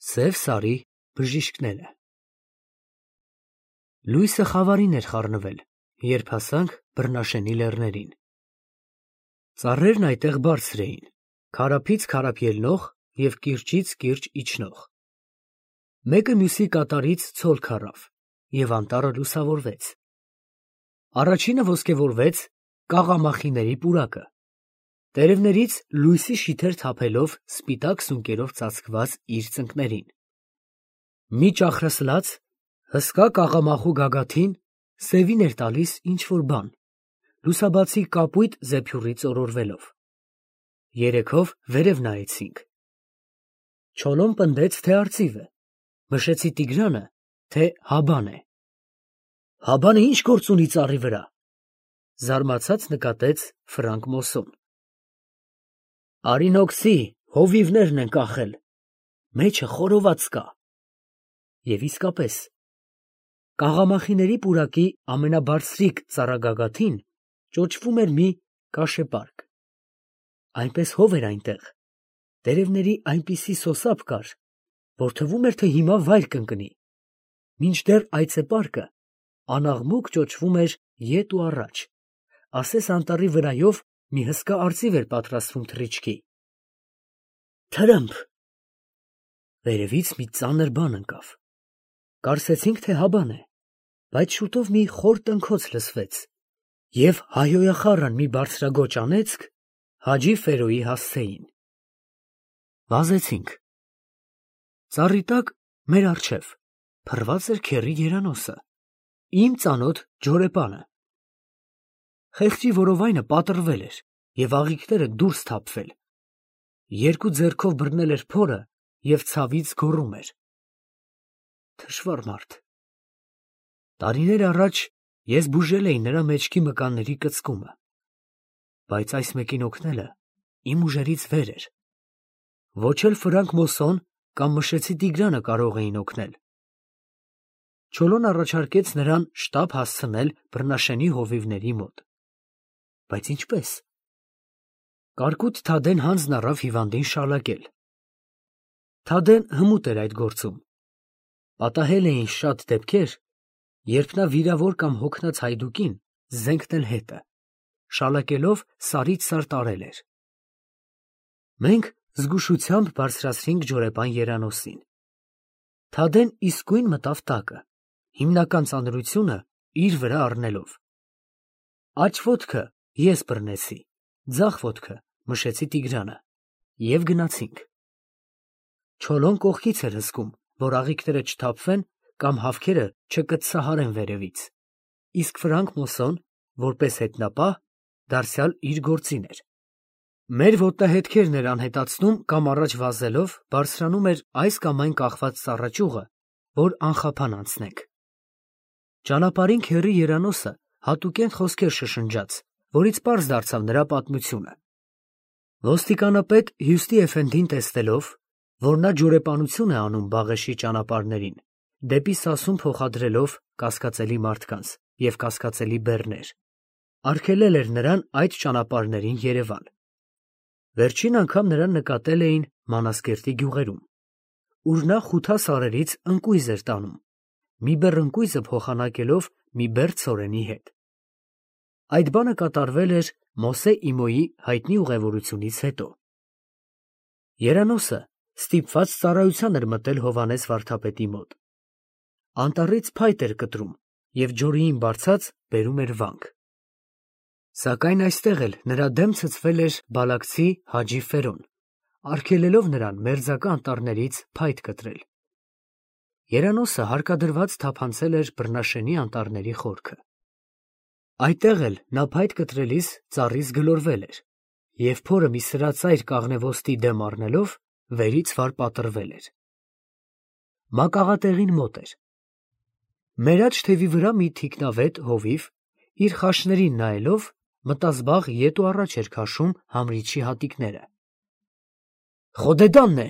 Սև սարի բժիշկները։ Լույսը խավարին էր խառնվել, երբ հասանք Բռնաշենի լեռներին։ Ծառերն այդտեղ բարձր էին, քարափից քարափ ելնող և կիրճից կիրճ իջնող։ Մեկը մյուսի կատարից ցոլ քառավ, և անտառը լուսավորվեց։ Առաջինը ոսկեվորվեց կաղամախիների պուրակը, տերևներից լույսի շիթեր թափելով սպիտակ սունկերով ծածկված իր ծնկներին։ Մի ճախրասլաց, հսկա կաղամախու գագաթին սևին էր տալիս ինչ֊որ բան, լուսաբացի կապույտ զեփյուռից օրորվելով։ Երեքով վերև նայեցինք։ Չոլոն պնդեց, թե արծիվ է, մշեցի Տիգրանը, թե հաբան է։ Հաբանը ի՞նչ գործ ունի ծառի վրա, զարմացած նկատեց Ֆրանկ Մոսսոն։ Արինոքսի հովիվներն են կախել, մեջը խորոված կա։ Եվ իսկապես, կաղամախիների պուրակի ամենաբարձրիկ ծառագագաթին ճոճվում էր մի կաշեպարկ։ Այնպես հով էր այնտեղ, տերևների այնպիսի սոսափ կար, որ թվում էր, թե հիմա վայր կընկնի, մինչդեռ այծեպարկը անաղմուկ ճոճվում էր ետ ու առաջ, ասես անտառի վրայով մի հսկա արծիվ էր պատրաստվում թռիչքի։ Թրըմփ… Վերևից մի ծանր բան ընկավ։ Կարծեցինք, թե հաբան է, բայց շուտով մի խոր տնքոց լսվեց, և հայհոյախառն մի բարձրագոճ անեծք Հաջի Ֆերոյի հասցեին։ Վազեցինք։ Ծառի տակ մեր առջև փռված էր քեռի երանոսը, իմ ծանոթ ջորեպանը։ Խեղճի որովայնը պատռվել էր և աղիքները դուրս թափվել։ Երկու ձեռքով բռնել էր փորը և ցավից գոռում էր. Թշվառ մարդ։ Տարիներ առաջ ես բուժել էի նրա մեջքի մկանների կծկումը, բայց այս մեկին օգնելը իմ ուժերից վեր էր։ Ոչ էլ Ֆրանկ Մոսսոն կամ Մշեցի Տիգրանը կարող էին օգնել։ Չոլոն առաջարկեց նրան շտապ հասցնել Բռնաշենի հովիվների մոտ։ Բայց ինչպե՞ս։ Կարկուտ Թադեն հանձն առավ հիվանդին շալակել։ Թադեն հմուտ էր այդ գործում։ Պատահել էին շատ դեպքեր, երբ նա վիրավոր կամ հոգնած հայդուկին զենք տել հետը, շալակելով սարից սար տարել էր։ Մենք զգուշությամբ բարձրացրինք ջորեպան երանոսին։ Թադեն իսկույն մտավ տակը, հիմնական ծանրությունը իր վրա առնելով։ Աջ ոտքը ես բռնեցի, ձախ ոտքը Մշեցի Տիգրանը, և գնացինք։ Չոլոն կողքից էր հսկում, որ աղիքները չթափվեն կամ հավքերը չկծսահարեն վերևից, իսկ Ֆրանկ Մոսսոն, որպես հետնապահ, դարձյալ իր գործին էր։ Մեր ոտնահետքերն էր անհետացնում կամ առաջ վազելով բարձրանում էր այս կամ այն կախված ծառաճյուղը, որ անխափան անցնենք։ Ճանապարհին քեռի երանոսը հատուկենտ խոսքեր շշնջաց, որից պարզ դարձավ նրա պատմությունը։ Ոստիկանապետ Հյուստի Էֆենդին տեսնելով, որ նա ջորեպանություն է անում Բաղեշի ճանապարհներին, դեպի Սասուն փոխադրելով կասկածելի մարդկանց և կասկածելի բեռներ, արգելել էր նրան այդ ճանապարհներին երևալ։ Վերջին անգամ նրան նկատել էին Մանազկերտի գյուղերում, ուր նա խութասարերից ընկույզ էր տանում, մի բեռ ընկույզը փոխանակելով մի բեռ ցորենի հետ։ Այդ բանը կատարվել էր Մոսե Իմոյի հայտնի ուղևորությունից հետո։ Երանոսը ստիպված ծառայության էր մտել Հովհաննես վարդապետի մոտ։ Անտառից փայտ էր կտրում և ջորիին բարձած բերում էր վանք։ Սակայն այստեղ էլ նրա դեմ ցցվել էր բալաքցի Հաջի Ֆերոն, արգելելով նրան մերձակա անտառներից փայտ կտրել։ Երանոսը հարկադրված թափանցել էր Բռնաշենի անտառների խորքը։ Այդտեղ էլ նա փայտ կտրելիս ծառից գլորվել էր, և փորը մի սրածայր կաղնեոստի դեմ առնելով վերից վար պատռվել էր։ Մակաղատեղին մոտ էր։ Մեր աջ թևի վրա մի թիկնավետ հովիվ, իր խաշներին նայելով, մտազբաղ ետ ու առաջ էր քաշում համրիչի հատիկները։ Խոդեդանն է,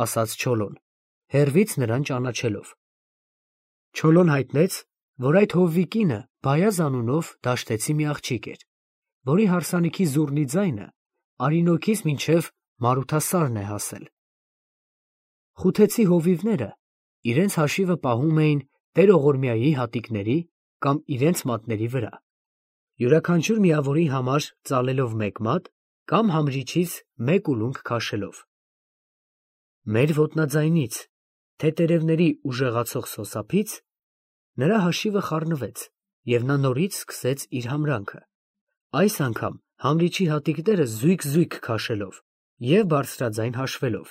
ասաց Չոլոն, հեռվից նրան ճանաչելով։ Չոլոն հայտնեց, որ այդ հովվի կինը Բայազ անունով դաշտեցի մի աղջիկ էր, որի հարսանիքի զուռնի ձայնը Արինոքից մինչև Մարութասարն է հասել։ Խութեցի հովիվները իրենց հաշիվը պահում էին տերողորմյայի հատիկների կամ իրենց մատների վրա, յուրաքանչյուր միավորի համար ծալելով մեկ մատ կամ համրիչից մեկ ուլունք քաշելով։ Մեր ոտնաձայնից, թե տերևների ուժեղացող սոսափից, նրա հաշիվը խառնվեց, և նա նորից սկսեց իր համրանքը, այս անգամ համրիչի հատիկները զույգ-զույգ քաշելով և բարձրաձայն հաշվելով.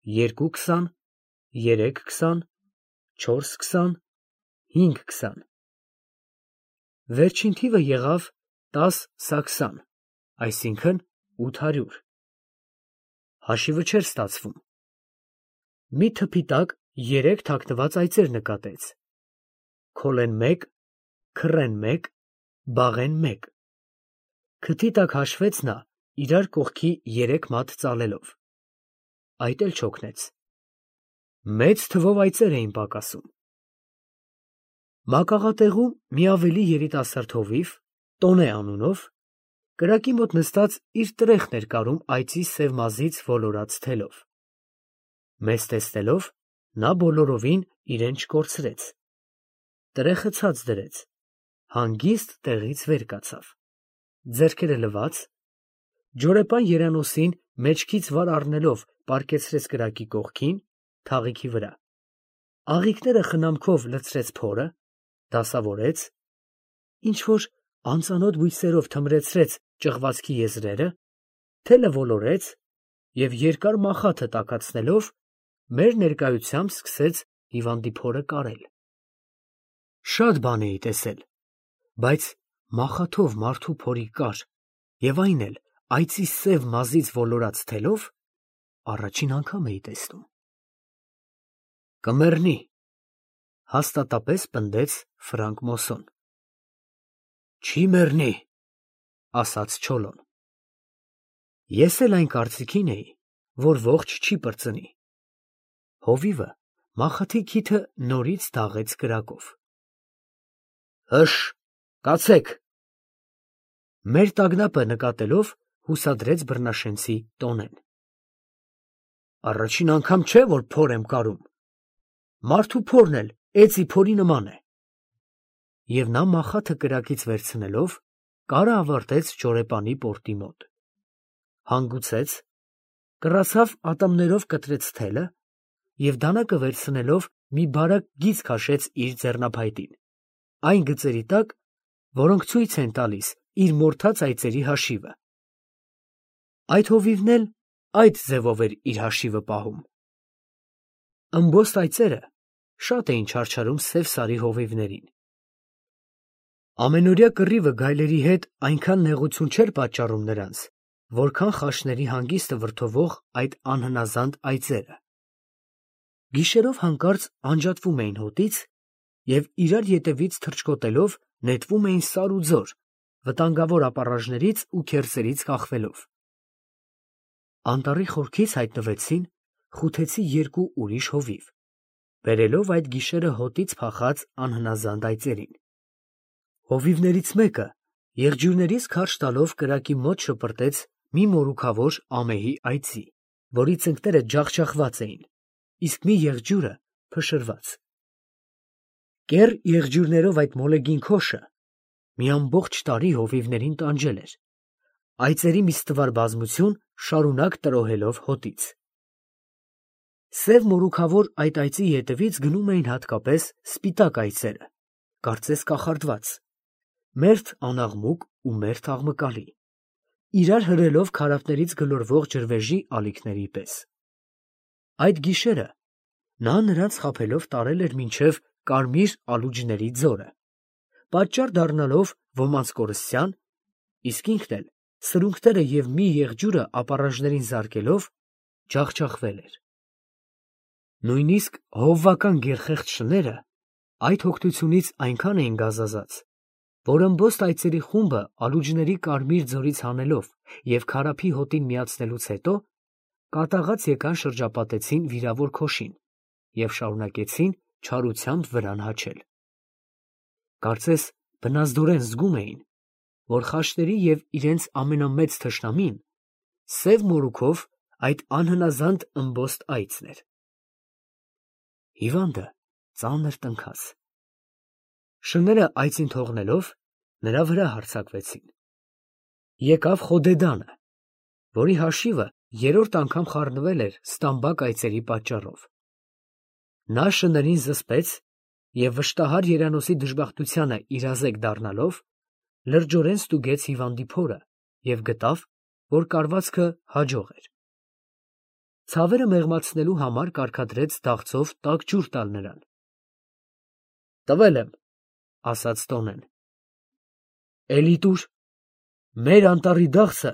2-20, 3-20, 4-20, 5-20։ Վերջին թիվը եղավ 10-20, այսինքն 800։ Հաշիվը չէր ստացվում։ Մի թփի տակ 3 թաքնված այծեր նկատեց. քոլեն 1, քռեն 1, բաղեն 1։ Քթի տակ հաշվեց նա իրար կողքի 3 մատ ծալելով։ Այդ էլ չօգնեց։ Մեծ թվով այծեր էին պակասում։ Մակաղատեղում մի ավելի երիտասարդ հովիվ, Տոնե անունով, կրակի մոտ նստած իր տրեխն էր կարում այծի սև մազից ոլորած թելով։ Մեզ տեսնելով, նա բոլորովին իրեն չկորցրեց։ Տրեխը ցած դրեց, հանգիստ տեղից վեր կացավ, ձեռքերը լվաց, ջորեպան երանոսին մեջքից վար առնելով պառկեցրեց կրակի կողքին, թաղիքի վրա, աղիքները խնամքով լցրեց փորը, դասավորեց, ինչ-որ անծանոթ բույսերով թմրեցրեց ճղվածքի եզրերը, թելը ոլորեց և երկար մախաթը տաքացնելով, մեր ներկայությամբ սկսեց հիվանդի փորը կարել։ Շատ բան էի տեսել, բայց մախաթով մարդու փորի կար և այն էլ այծի սև մազից ոլորած թելով առաջին անգամ էի տեսնում։ Կմեռնի, հաստատապես պնդեց Ֆրանկ Մոսսոն։ Չի մեռնի, ասաց Չոլոն։ Ես էլ այն կարծիքին էի, որ ողջ չի պրծնի։ Հովիվը մախաթի քիթը նորից դաղեց կրակով։ Հըշ, կացեք։ Մեր տագնապը նկատելով հուսադրեց բռնաշենցի Տոնեն։ Առաջին անգամ չէ, որ փոր եմ կարում։ Մարդու փորն էլ էծի փորի նման է։ Եվ նա մախաթը կրակից վերցնելով, կարը ավարտեց ջորեպանի պորտի մոտ։ Հանգուցեց, կռացավ ատամներով կտրեց թելը և դանակը վերցնելով մի բարակ գիծ քաշեց իր ձեռնափայտին, այն գծերի տակ, որոնք ցույց են տալիս իր մորթած այծերի հաշիվը։ Այդ հովիվն էլ այդ ձևով էր իր հաշիվը պահում։ Ըմբոստ այծերը շատ էին չարչարում սև սարի հովիվներին։ Ամենօրյա կռիվը գայլերի հետ այնքան նեղություն չէր պատճառում նրանց, որքան խաշների հանգիստը վրդովող այդ անհնազանդ այծերը։ Գիշերով հանկարծ անջատվում էին հոտից և իրար ետևից թռչկոտելով նետվում էին սար ու ձոր, վտանգավոր ապառաժներից ու քերծերից կախվելով։ Անտառի խորքից հայտնվեցին խութեցի 2 ուրիշ հովիվ, բերելով այդ գիշերը հոտից փախած անհնազանդ այծերին։ Հովիվներից մեկը եղջյուրներից քարշ տալով կրակի մոտ շպրտեց մի մորուքավոր ամեհի այծի, որի ծնկները ջախջախված էին, իսկ մի եղջյուրը փշրված։ Կեռ եղջյուրներով այդ մոլեգին քոշը մի ամբողջ տարի հովիվներին տանջել էր, այծերի մի ստվար բազմություն շարունակ տրոհելով հոտից։ Սև մորուքավոր այդ այծի ետևից գնում էին հատկապես սպիտակ այծերը, կարծես կախարդված, մերթ անաղմուկ ու մերթ աղմկալի, իրար հրելով քարափներից գլորվող ջրվեժի ալիքների պես։ Այդ գիշերը նա նրանց խաբելով տարել էր մինչև կարմիր ալուջների ձորը, պատճառ դառնալով ոմանց կորստյան, իսկ ինքն էլ սրունքները և մի եղջյուրը ապառաժներին զարկելով ջախջախվել էր։ Նույնիսկ հովվական գերխեղճ շները այդ հոգնությունից այնքան էին գազազած, որ ըմբոստ այծերի խումբը ալուջների կարմիր ձորից հանելով և քարափի հոտին միացնելուց հետո կատաղած եկան շրջապատեցին վիրավոր քոշին և շարունակեցին չարությամբ վրան հաչել։ Կարծես բնազդորեն զգում էին, որ խաշների և իրենց ամենամեծ թշնամին սև մորուքով այդ անհնազանդ ըմբոստ այծն էր։ Հիվանդը ծանր տնքաց։ Շները այծին թողնելով, նրա վրա հարձակվեցին։ Եկավ Խոդեդանը, որի հաշիվը երրորդ անգամ խառնվել էր ստամբակ այծերի պատճառով։ Նա շներին զսպեց և վշտահար երանոցի դժբախտությանը իրազեկ դառնալով, լրջորեն ստուգեց հիվանդի փորը և գտավ, որ կարվածքը հաջող էր։ Ցավերը մեղմացնելու համար կարգադրեց դաղձով տաք ջուր տալ նրան։ «Տվել եմ», ասաց տոնեն։ «Էլի տուր, մեր անտառի դաղձը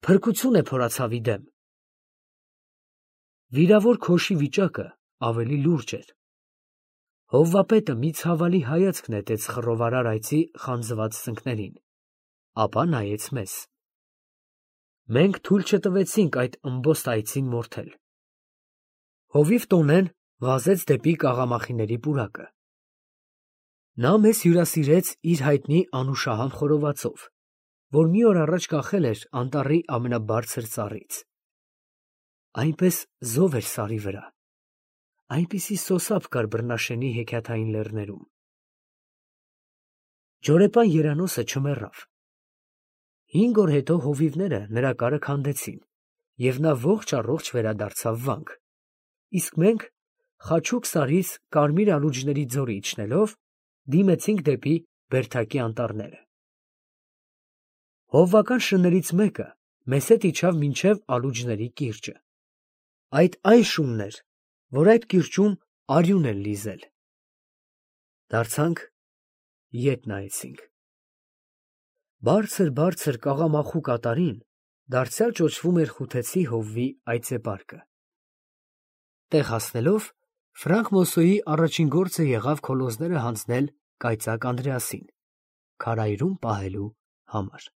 փրկություն է փորացավի դեմ»։ Վիրավոր քոշի վիճակը ավելի լուրջ էր։ Հովվապետը մի ցավալի հայացք նետեց խռովարար այծի խանձված ծնկներին, ապա նայեց մեզ։ Մենք թույլ չտվեցինք այդ ըմբոստ այծին մորթել։ Հովիվ տոնեն վազեց դեպի կաղամախիների պուրակը։ Նա մեզ հյուրասիրեց իր հայտնի անուշահամ խորովածով, որ մի օր առաջ կախել էր անտառի ամենաբարձր ծառից։ Այնպես զով էր սարի վրա, այնպիսի սոսափ կար բռնաշենի հեքիաթային լեռներում։ Ջորեպան երանոցը չմեռավ։ 5 օր հետո հովիվները նրա կարը քանդեցին, և նա ողջ առողջ վերադարձավ վանք, իսկ մենք, Խաչուկ սարից կարմիր ալուջների ձորի իջնելով, դիմեցինք դեպի Բերդակի անտառները։ Հովվական շներից մեկը մեզ հետ իջավ մինչև Ալուջների կիրճը։ Այդ այն շունն էր, որ այդ կիրճում արյուն են լիզել։ Դարձանք, ետ նայեցինք։ Բարձր կաղամախու կատարին դարձյալ ճոճվում էր Խութեցի հովվի այծեպարկը։ Տեղ հասնելով, Ֆրանկ Մոսոյի առաջին գործը եղավ քոլոզները հանձնել կայծակ Անդրեասին՝ քարայրում պահելու համար։